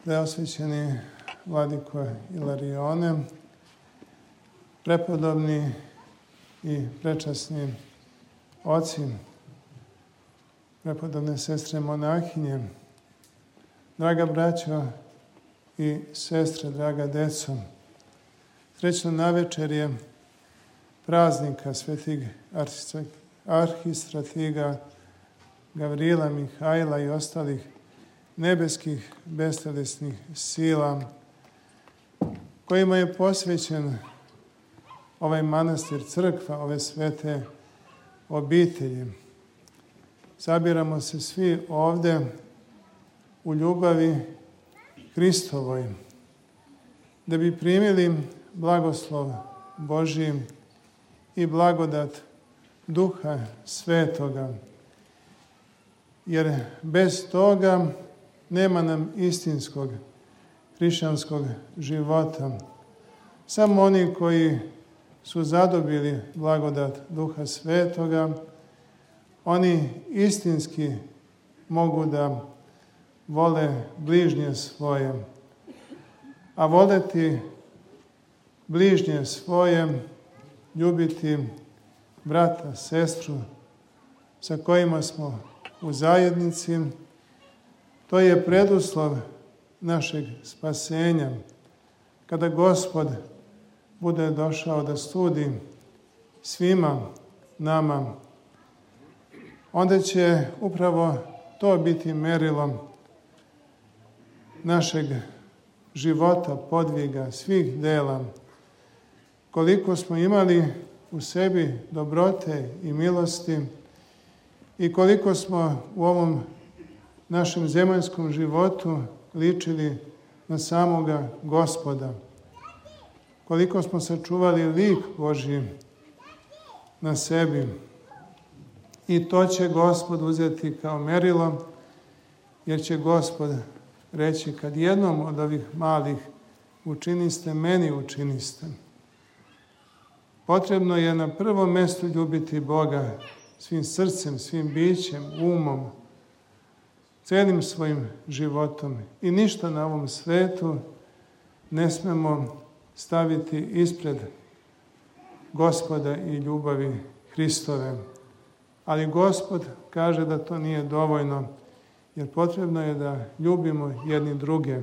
preosvećeni vladiko Ilarione, prepodobni i prečasni oci, prepodobne sestre monahinje, draga braćo i sestre, draga deco, srećno navečerje praznika svetih arhistratiga Gavrila, Mihajla i ostalih nebeskih bestelesnih sila kojima je posvećen ovaj manastir, crkva, ove svete obitelji. Sabiramo se svi ovde u ljubavi Hristovoj, da bi primili blagoslov Božji i blagodat Duha Svetoga, jer bez toga nema nam istinskog hrišćanskog života. Samo oni koji su zadobili blagodat Duha Svetoga, oni istinski mogu da vole bližnje svoje. A voleti bližnje svoje, ljubiti brata, sestru sa kojima smo u zajednici, to je preduslov našeg spasenja. Kada Gospod bude došao da sudi svima nama, onda će upravo to biti merilo našeg života, podviga, svih dela. Koliko smo imali u sebi dobrote i milosti i koliko smo u ovom našem zemaljskom životu ličili na samoga Gospoda. Koliko smo sačuvali lik Božji na sebi. I to će Gospod uzeti kao merilo, jer će Gospod reći: kad jednom od ovih malih učiniste, meni učiniste. Potrebno je na prvom mestu ljubiti Boga svim srcem, svim bićem, umom, celim svojim životom. I ništa na ovom svetu ne smemo staviti ispred Gospoda i ljubavi Hristove. Ali Gospod kaže da to nije dovoljno, jer potrebno je da ljubimo jedni druge,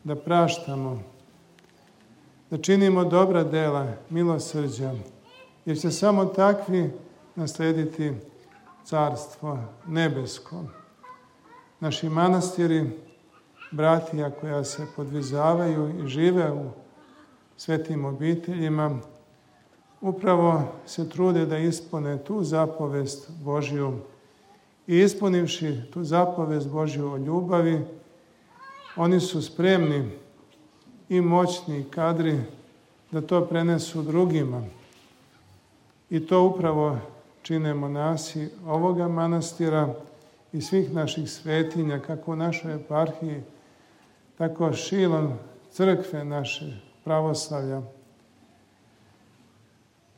da praštamo, da činimo dobra dela, milosrđa, jer će samo takvi naslediti Carstvo nebesko. Naši manastiri, bratija koja se podvizavaju i žive u svetim obiteljima, upravo se trude da ispune tu zapovest Božju. I ispunivši tu zapovest Božju o ljubavi, oni su spremni i moćni i kadri da to prenesu drugima. I to upravo čine monasi ovoga manastira i svih naših svetinja, kako u našoj eparhiji, tako šilom crkve naše pravoslavlja.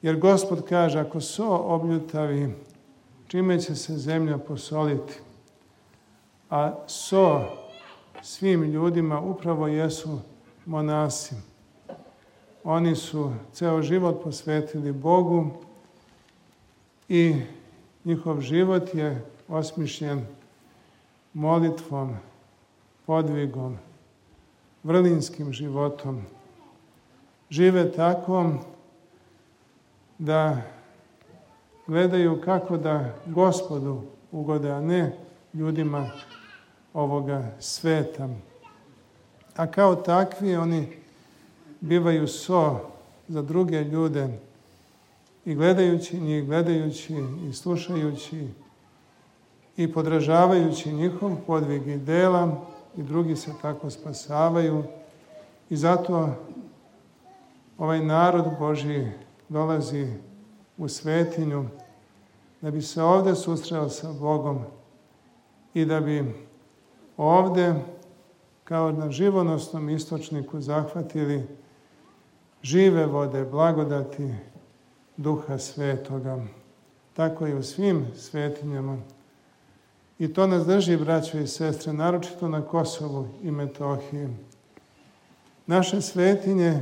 Jer Gospod kaže: ako so obljutavi, čime će se zemlja posoliti? A so svim ljudima upravo jesu monasi. Oni su ceo život posvetili Bogu i njihov život je osmišljen molitvom, podvigom, vrlinskim životom. Žive tako da gledaju kako da Gospodu ugode, a ne ljudima ovoga sveta. A kao takvi oni bivaju so za druge ljude i gledajući njih, gledajući i slušajući i podražavajući njihov podvig i dela, i drugi se tako spasavaju. I zato ovaj narod Božji dolazi u svetinju da bi se ovde susreo sa Bogom i da bi ovde, kao na živonosnom istočniku, zahvatili žive vode, blagodati Duha Svetoga. Tako i u svim svetinjama I to nas drži, braćo i sestre, naročito na Kosovu i Metohiji. Naše svetinje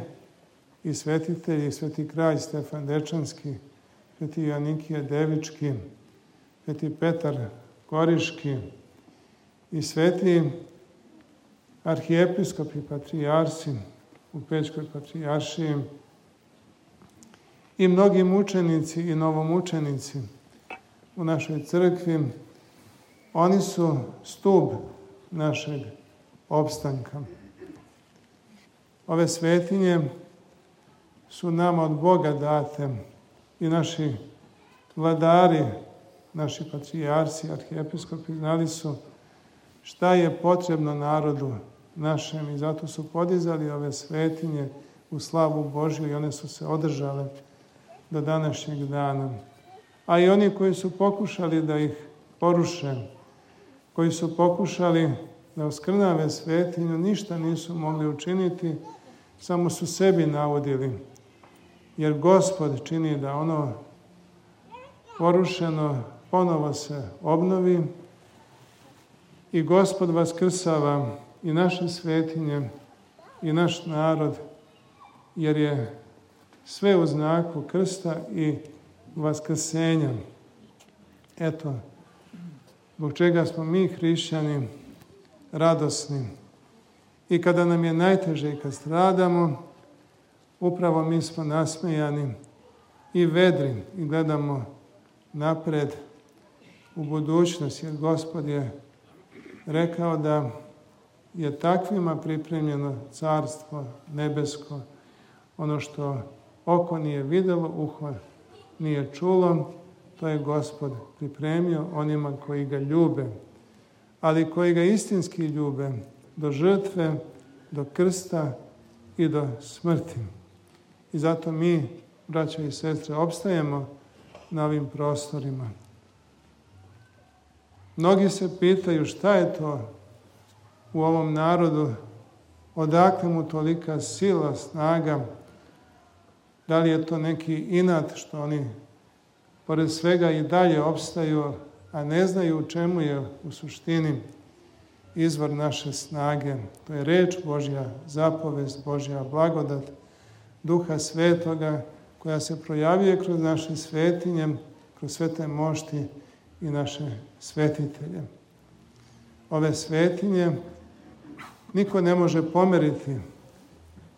i svetitelji, sveti kralj Stefan Dečanski, sveti Joanikije Devički, sveti Petar Koriški i sveti arhijepiskopi i patrijarsi u Pećkoj patrijaršiji i mnogi mučenici i novomučenici u našoj crkvi, oni su stub našeg opstanka. Ove svetinje su nama od Boga date i naši vladari, naši patrijarsi, arhijepiskopi znali su šta je potrebno narodu našem i zato su podizali ove svetinje u slavu Božju i one su se održale do današnjeg dana. A i oni koji su pokušali da ih poruše, koji su pokušali da oskrnave svetinju, ništa nisu mogli učiniti, samo su sebi naudili. Jer Gospod čini da ono porušeno ponovo se obnovi i Gospod vaskrsava i naše svetinje i naš narod, jer je sve u znaku krsta i vaskrsenja. Eto, zbog čega smo mi hrišćani radosni. I kada nam je najteže i kad stradamo, upravo mi smo nasmejani i vedri i gledamo napred u budućnost, jer Gospod je rekao da je takvima pripremljeno carstvo nebesko, ono što oko nije vidjelo, uho nije čulo, to je Gospod pripremio onima koji ga ljube, ali koji ga istinski ljube do žrtve, do krsta i do smrti. I zato mi, braćo i sestre, opstajemo na ovim prostorima. Mnogi se pitaju šta je to u ovom narodu, odakle mu tolika sila, snaga, da li je to neki inat što oni pored svega i dalje opstaju, a ne znaju u čemu je u suštini izvor naše snage. To je reč Božja, zapovest Božja, blagodat Duha Svetoga koja se projavljuje kroz naše svetinje, kroz svete mošti i naše svetitelje. Ove svetinje niko ne može pomeriti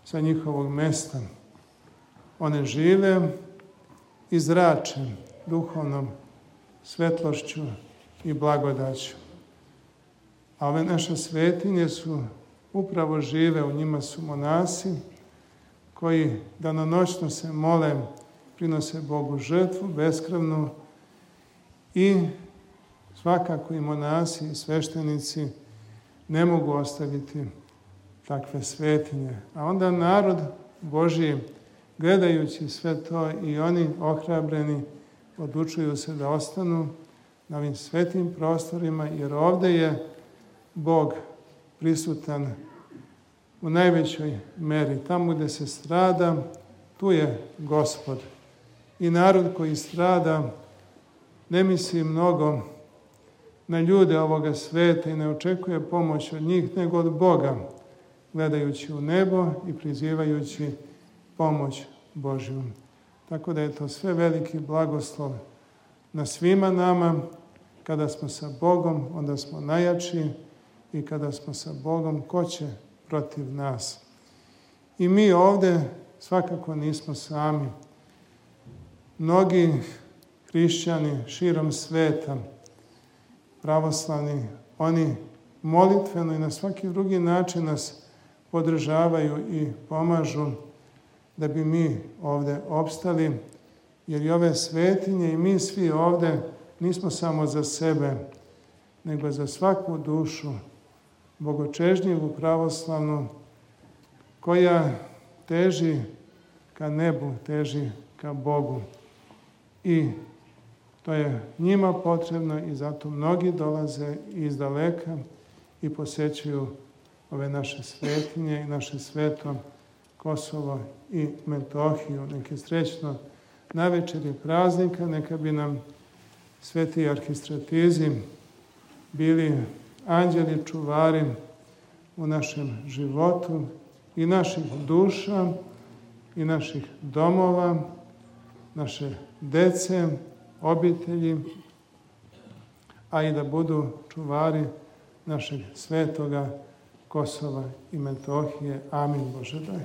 sa njihovog mesta. One žive i zrače duhovnom svetlošću i blagodaću. A ove naše svetinje su upravo žive, u njima su monasi koji danonoćno se mole, prinose Bogu žrtvu beskrvnu i svakako i monasi i sveštenici ne mogu ostaviti takve svetinje. A onda narod Božji, gledajući sve to, i oni ohrabreni odlučuju se da ostanu na ovim svetim prostorima, jer ovde je Bog prisutan u najvećoj meri. Tamo gde se strada, tu je Gospod. I narod koji strada ne misli mnogo na ljude ovoga sveta i ne očekuje pomoć od njih, nego od Boga, gledajući u nebo i prizivajući pomoć Božju. Tako da je to sve veliki blagoslov na svima nama. Kada smo sa Bogom, onda smo najjači, i kada smo sa Bogom, ko će protiv nas? I mi ovde svakako nismo sami. Mnogi hrišćani širom sveta, pravoslavni, oni molitveno i na svaki drugi način nas podržavaju i pomažu da bi mi ovde opstali, jer i ove svetinje i mi svi ovde nismo samo za sebe, nego za svaku dušu bogočežnjivu, pravoslavnu, koja teži ka nebu, teži ka Bogu. I to je njima potrebno i zato mnogi dolaze iz daleka i posećuju ove naše svetinje i naše sveto Kosovo i Metohiju. Neke srećno navečer praznika, neka bi nam sveti arhistratizi bili anđeli čuvari u našem životu i naših duša i naših domova, naše dece, obitelji, a i da budu čuvari našeg svetoga Kosova i Metohije. Amin, Bože daj.